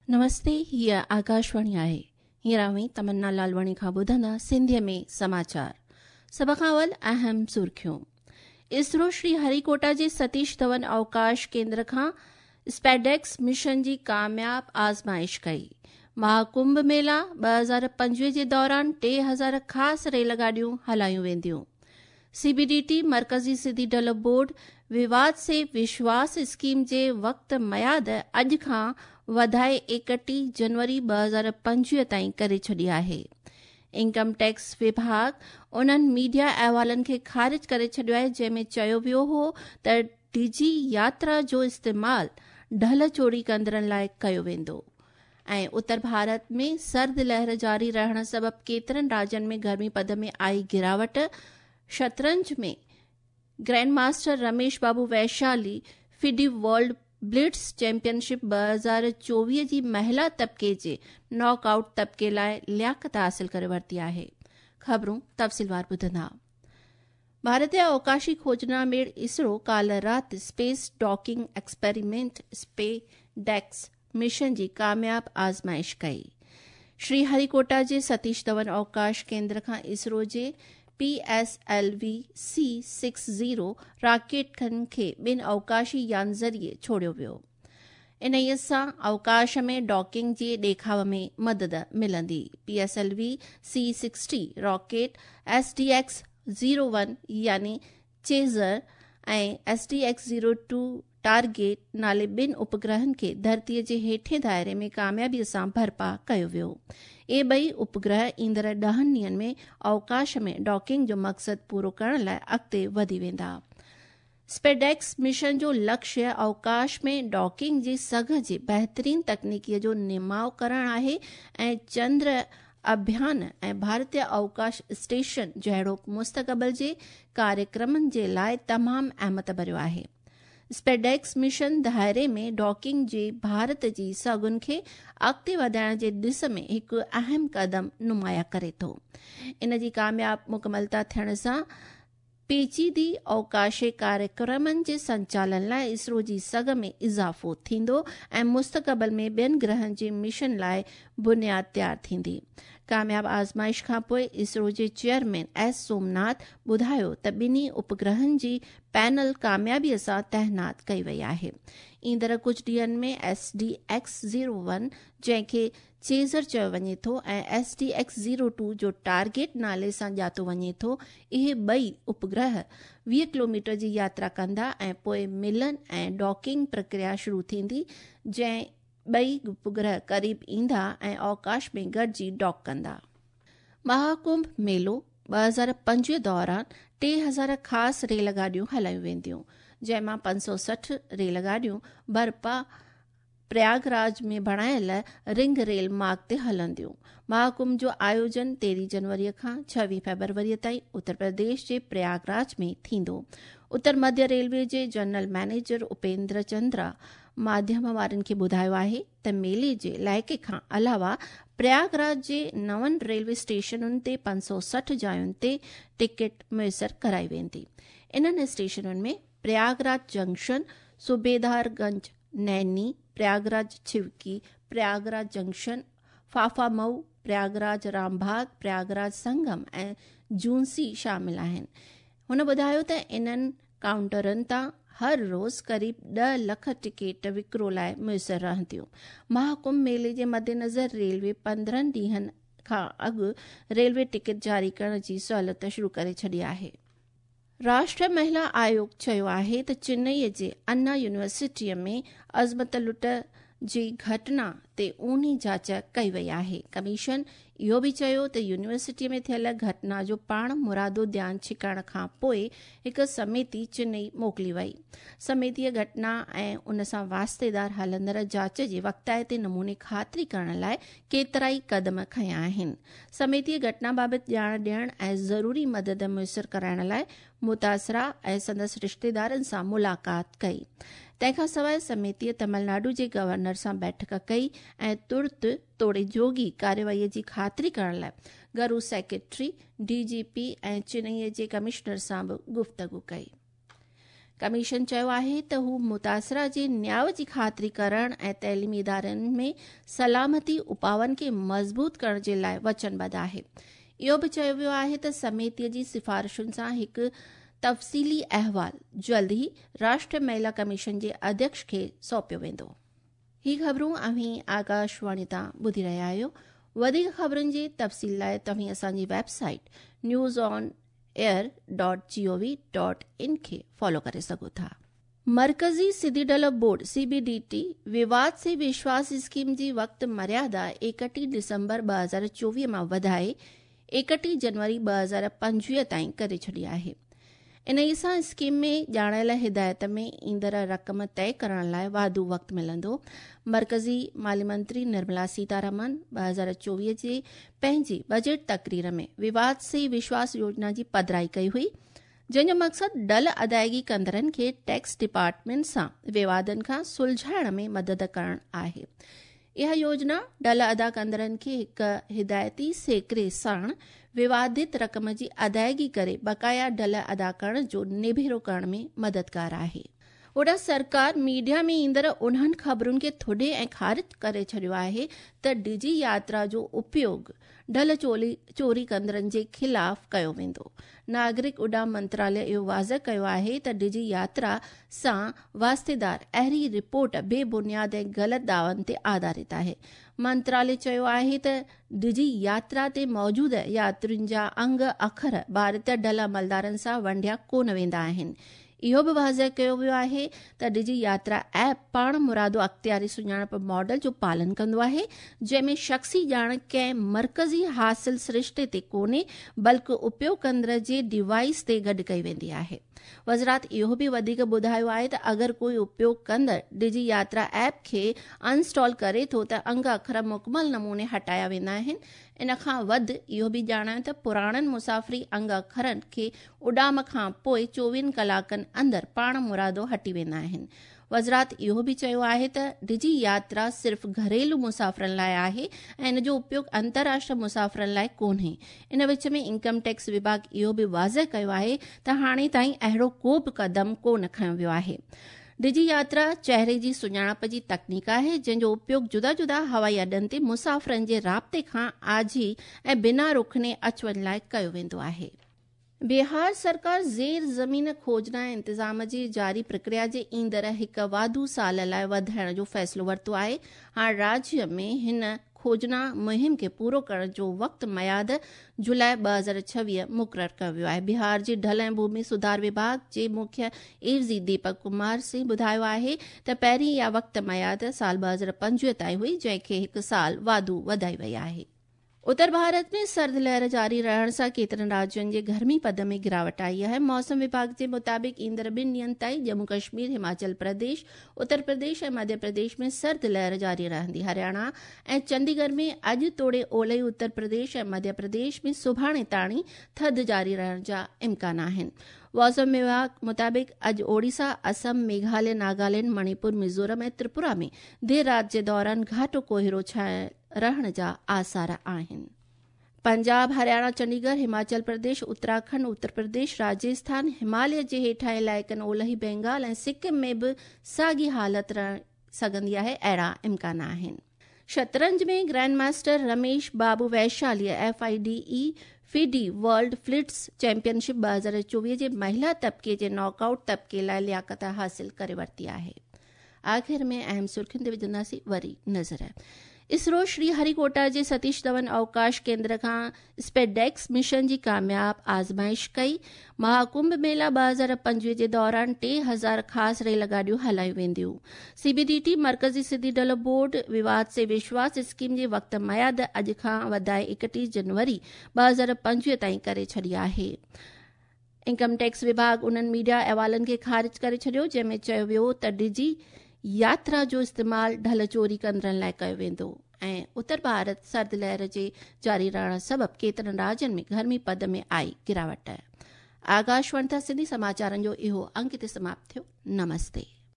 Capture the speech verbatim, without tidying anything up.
नमस्ते, हीअ आकाशवाणी आहे। हींअर अव्हीं तमन्ना लालवाणी खां ॿुधंदा सिंधीअ में समाचार। सभ खां अवल अहम सुर्खियूं। इसरो श्री हरिकोटा जे सतीश धवन अवकाश केंद्र खां स्पेडेक्स मिशन जी कामयाब आज़माइश कई। महाकुंभ मेला ॿ हज़ार पंजवीह जे दौरान टे हज़ार ख़ासि रेल गाॾियूं हलायूं वेंदियूं। सीबीडीटी मर्कज़ी सिधी ढल बोर्ड विवाद से विश्वास स्कीम जे वक़्त मयाद अॼु खां वधाए एकटीह जनवरी ॿ हज़ार पंजवीह ताईं करे छॾी आहे। इनकम टैक्स विभाग उन्हनि मीडिया अहवालनि खे ख़ारिज करे छॾियो आहे जंहिंमें चयो वियो हो त डिजी यात्रा जो इस्तेमाल ढल चोरी कंदड़नि लाइ कयो वेंदो। ऐं उत्तर भारत में सर्द लहर जारी रहण सबबि केतिरनि राज्यनि में गर्मी पद में आई गिरावट। शतरंज में grand master Ramesh Babu Vaishali FIDE world blitz championship ॿ हज़ार चोवीह जी महिला तबिके जे नॉकआउट तबिके लाइ लियाकत हासिल करे वरिती आहे। ख़बरूं तफ़सीलवार ॿुधंदा। भारतीय अवकाशी खोजना मेड़ इसरो काल्ह राति space docking experiment SpaDeX mission जी कामयाब आज़माइश कई। श्री हरिकोटा जे सतीश धवन अवकाश केंद्र खां इसरो जे P S L V C six zero रॉकेटनि खे ॿिनि अवकाशी यान ज़रिए छोड़ियो वियो। इन्हीअ सां अवकाश में डॉकिंग जे ॾेखाव में मदद मिलंदी। P S L V C sixty rocket S D X zero one यानी चेज़र ऐं S D X zero two target नाले ॿिनि उपग्रहनि खे धरतीअ जे हेठे दायरे में कामयाबीअ सां बर्पा कयो वियो। इहे ॿई उपग्रह ईंदड़ ॾहनि ॾींहंनि में अवकाश में डॉकिंग जो मक़सदु पूरो करण लाइ अॻिते वधी वेंदा। स्पेडेक्स मिशन जो लक्ष्य अवकाश में डॉकिंग जी सघ जे बहितरीन तकनीकीअ जो निमाव करणु आहे ऐं चंद्र अभियान ऐं भारतीय अवकाश स्टेशन जहिड़ो मुस्तक़बिल जे कार्यक्रमनि जे लाइ तमामु अहमियत भरियो आहे। स्पेडेक्स मिशन दायरे में डॉकिंग जे भारत जी सघुनि खे अॻिते वधाइण जे दिस में हिकु अहम कदम नुमाया करे थो। इन जी कामयाब मुकमलता थियण सां पेचीदी अवकाशी कार्यक्रमनि जे संचालन लाइ इसरो जी सघ में इज़ाफ़ो थींदो ऐं मुस्तक़बिल में ॿियनि ग्रहनि जे मिशन लाइ बुनियाद तयारु थींदी। कामयाब आज़माइश खां पोइ इसरो जे चेयरमैन एस सोमनाथ ॿुधायो त ॿिन्ही उपग्रहनि जी पैनल कामयाबीअ सां तैनात कई वई आहे। ईंदड़ कुझु ॾींहंनि में S D X zero one जंहिंखे चेज़र चयो वञे थो ऐं S D X zero two जो टारगेट नाले सां ॼातो वञे थो, इहे ॿई उपग्रह वीह किलोमीटर जी यात्रा कंदा ऐं पोइ मिलन ऐं डॉकिंग प्रक्रिया शुरू थींदी, जंहिं ॿई उपग्रह क़रीब ईंदा ऐं अवकाश में गॾिजी डॉक कंदा। महाकुंभ मेलो ॿ हज़ार पंजवीह दौरान टे हज़ार ख़ासि रेल गाॾियूं हलायूं वेंदियूं, जंहिं मां पंज सौ सठि रेल गाॾियूं बर्पा प्रयागराज में बणायल रिंग रेल मार्ग ते हलंदियूं। महाकुंभ जो आयोजन तेरहीं जनवरीअ खां छवीह फेब्रुवरीअ ताईं उत्तर प्रदेश जे प्रयागराज में थींदो। उत्तर मध्य रेलवे जे जनरल मैनेजर उपेंद्र चंद्रा माध्यम वारनि खे ॿुधायो आहे त मेले जे इलाइक़े खां अलावा प्रयागराज जे नवनि रेलवे स्टेशनुनि ते पंज सौ सठि जायुनि ते टिकट मुयसर कराई वेंदी। इन्हनि स्टेशनुनि में प्रयागराज जंक्शन, सुबेदारगंज नैनी, प्रयागराज छिवकी, प्रयागराज जंक्शन, फाफामऊ, प्रयागराज रामबाग, प्रयागराज संगम ऐं जूनसी शामिल आहिनि। हुन ॿुधायो त इन्हनि काउंटरनि तां हर रोज़ क़रीब ॾह लख टिकेट विकिरो लाइ मुयसर रहंदियूं। महाकुंभ मेले जे मद्देनज़र रेलवे पंद्रहं ॾींहंनि खां अॻु रेलवे टिकट जारी करण जी सहूलियत शुरू करे छॾी आहे। राष्ट्रीय महिला आयोग चयो आहे त चेन्नईअ जे अन्ना यूनिवर्सिटीअ में अज़मत लुट जी घटना ते ऊन्ही जांच कई वई आहे। कमीशन इहो बि चयो त यूनिवर्सिटीअ में थियल घटना जो पाण मुरादो ध्यानु छिकाइण खां पोइ हिकु समिति चेन्नई मोकिली वई। समितीअ घटना ऐं उन सां वास्तेदार हलंदड़ जांच जे वक़्ताइते नमूने ख़ातिरी करण लाइ केतिरा ई कदम खयां आहिनि। समितीअ घटना बाबति ॼाण ॾियण ऐं ज़रूरी मदद मुयसर कराइण लाइ मुतासिरा ऐं संदसि रिश्तेदारनि सां मुलाक़ात कई। तंहिंखां सवाइ समितीअ तमिलनाडु जे गवर्नर सां बैठक कई ऐं तुर्त तोड़े जोगी कार्यवाहीअ जी ख़ातिरी करण लाइ घरू सेक्रेटरी, डीजीपी ऐं चेन्नईअ जे कमिश्नर सां बि गुफ़्तगू कई। कमीशन चयो आहे त हू मुतासिरा जे न्याय जी ख़ातिरी करण ऐं तइलीमी इदारनि में सलामती उपाउनि खे मज़बूत करण जे लाइ वचनबद्ध आहे। इहो बि चयो वियो आहे त समितीअ जी सिफारिशुनि सां हिकु तफ़सीली अहवाल जल्द ई राष्ट्रीय महिला कमीशन जे अध्यक्ष खे सौंपियो वेंदो। ही ख़बरूं अव्हीं आकाशवाणी तां ॿुधी रहिया आहियो। वधीक ख़बरुनि जे तफ़सील लाइ तव्हीं असांजी website news on air dot G O V dot in खे फॉलो करे सघो था। मर्कज़ी सिधी डल board C B D T विवाद से विश्वास स्कीम जी वक़्त मर्यादा एकटीह दिसंबर ॿ हज़ार चोवीह मां वधाए एकटीह जनवरी ॿ हज़ार पंजवीह ताईं करे छॾी आहे। इन सां स्कीम में ॼाणायल हिदायत में ईंदड़ रक़म तय करण लाइ वाधू वक़्तु मिलंदो। मर्कज़ी माली मंत्री निर्मला सीतारमन ॿ हज़ार चोवीह जे पंहिंजी बजट तकरीर में विवाद से विश्वास योजना जी पधराई कई हुई, जंहिंजो मक़सदु डल अदायगी कंदड़नि खे टैक्स डिपार्टमेंट सां विवादनि खां सुलझाइण में मदद करणु आहे। इहा योजना डल अदा कंदड़नि खे हिकु हिदायती सेकरे साण विवादित रक़म जी अदायगी करे बकाया डल अदा करण जो निभेरो करण में मददगार आहे। होॾां सरकार मीडिया में ईंदड़ उन्हनि ख़बरुनि खे थुॾे ऐं ख़ारिज करे छॾियो आहे त डिजी यात्रा जो उपयोग ढल चोली चोरी कंदड़नि जे ख़िलाफ़ कयो वेंदो। नागरिक उॾान मंत्रालय इहो वाज़ कयो आहे त डिजी यात्रा सां वास्तेदार अहिड़ी रिपोर्ट बेबुनियाद ऐं ग़लति दावनि ते आधारित आहे। मंत्रालय चयो आहे त डिजी यात्रा ते मौजूद यात्रियुनि जा अंग अखर भारतीय ढल अमलदारनि सां वंडिया कोन वेंदा आहिनि। इहो बि वाज़ कयो वियो आहे त डिजी यात्रा ऐप पाण मुरादो अख़्तियारी सुञाणप मॉडल जो पालन कंदो आहे, जंहिंमें शख़्सी ॼाण कंहिं मर्कज़ी हासिल सरिश्ते ते कोन्हे बल्कि उपयोग कंदड़ जे डिवाइस ते गॾु कई वेंदी आहे। वज़ारत इहो बि वधीक ॿुधायो आहे त अगरि कोई उपयोग कंदड़ डिजी यात्रा ऐप खे अनइंस्टॉल करे थो त अंग अखर मुकमल नमूने हटाया वेंदा आहिनि। इन खां वधि इहो बि ॼाणायो त पुराणनि मुसाफ़िरी अंग अखरनि खे उॾाम खां पोइ चोवीहनि कलाकनि अंदरि पाण मुरादो हटी वेंदा आहिनि। वज़ारत इहो बि चयो आहे त डिजी यात्रा सिर्फ़ घरेलू मुसाफ़िरनि लाइ आहे ऐं इन जो उपयोग अंतर्राष्ट्रीय मुसाफ़िरनि लाइ कोन्हे। इन विच में इनकम टैक्स विभाग इहो बि वाज़ कयो आहे त हाणे ताईं अहिड़ो को बि कदम कोन खयो वियो आहे। डिजी यात्रा चेहरे जी सुञाणप जी तकनीक आहे, जंहिंजो उपयोग जुदा जुदा हवाई अॾनि ते मुसाफ़िरनि जे राब्ते खां आझी ऐं बिना रुखने अच वञ लाइ कयो वेंदो आहे। बिहार सरकार ज़ेर ज़मीन खोजना इंतज़ाम जी जारी प्रक्रिया जे ईंदड़ हिकु वाधू साल लाइ वधाइण जो फ़ैसिलो वरितो आहे। हाणे राज्य में हिन खोजना मुहिम खे पूरो करण जो वक़्तु मयाद जुलाई ॿ हज़ार छवीह मुक़ररु कयो वियो आहे। बिहार जे ढल ऐं भूमि सुधार विभाग जे मुख्य एवज़ी दीपक कुमार सिंह ॿुधायो आहे त पहिरीं इहा वक़्तु मयाद साल ॿ हज़ार पंजवीह ताईं हुई, जंहिंखे हिकु साल वाधू वधाई वई आहे। उत्तर भारत में सर्द लहर जारी रहण सां केतिरनि राज्युनि जे गर्मी पद में गिरावट आई आहे। मौसम विभाग जे मुताबिक़ ईंदड़ ॿिनि ॾींहनि ताईं जम्मू कश्मीर, हिमाचल प्रदेश, उत्तर प्रदेश ऐं मध्य प्रदेश में सर्द लहर जारी रहंदी। हरियाणा ऐं चंडीगढ़ में अॼु तोड़े ओलई उत्तर प्रदेश ऐं मध्य प्रदेश में सुभाणे ताणी थधि जारी रहण जा इम्कान आहिनि। मौसम विभाग मुताबिक़ अॼु ओडिशा, असम, मेघालय, नागालैंड, मणिपुर, मिज़ोरम ऐं त्रिपुरा में देरि राति जे दौरान घाटो कोहिरो छायल रहण जा आसार आहिनि। पंजाब, हरियाणा, चंडीगढ़, हिमाचल प्रदेश, उत्तराखंड, उत्तर प्रदेश, राजस्थान, हिमालय जे हेठां इलाइक़नि ओलही बंगाल ऐं सिक्किम में बि साॻी हालत रही सघंदी आहे, अहिड़ा इम्कान आहिनि। शतरंज में grand master Ramesh Babu Vaishali F I D E FIDE world blitz championship ॿ हज़ार चोवीह जे महिला तबिके जे नॉकआउट तबिके लाइ लियाक़त हासिल करे वरिती आहे। आख़िर में अहम सुर्खियुनि ते विझंदासीं वरी नज़र। इसरो श्रीहरिकोटा जे सतीश धवन अवकाश केंद्र खां स्पेडेक्स मिशन जी कामयाब आज़माइश कई। महाकुंभ मेला ॿ हज़ार पंजवीह जे दौरान टे हज़ार ख़ासि रेल गाॾियूं हलायूं वेंदियूं। सीबीडीटी मर्कज़ी सिधी डल बोर्ड विवाद से विश्वास स्कीम जे वक़्त मयाद अॼु खां वधाए एकटीह जनवरी ॿ हज़ार पंजवीह ताईं करे छॾी आहे। इनकम टैक्स विभाग उन्हनि मीडिया अहवालनि खे ख़ारिज करे छॾियो जंहिंमें चयो वियो त डिजी यात्रा जो इस्तेमालु ढल चोरी कंदड़नि लाइ कयो वेंदो। ऐं उत्तर भारत सर्द लहर जे जारी रहण सबबि केतिरनि राज्युनि में गर्मी पद में आई गिरावट। आकाशवाणी तां सिंधी समाचारनि जो इहो अंक हिते समाप्त थियो। नमस्ते।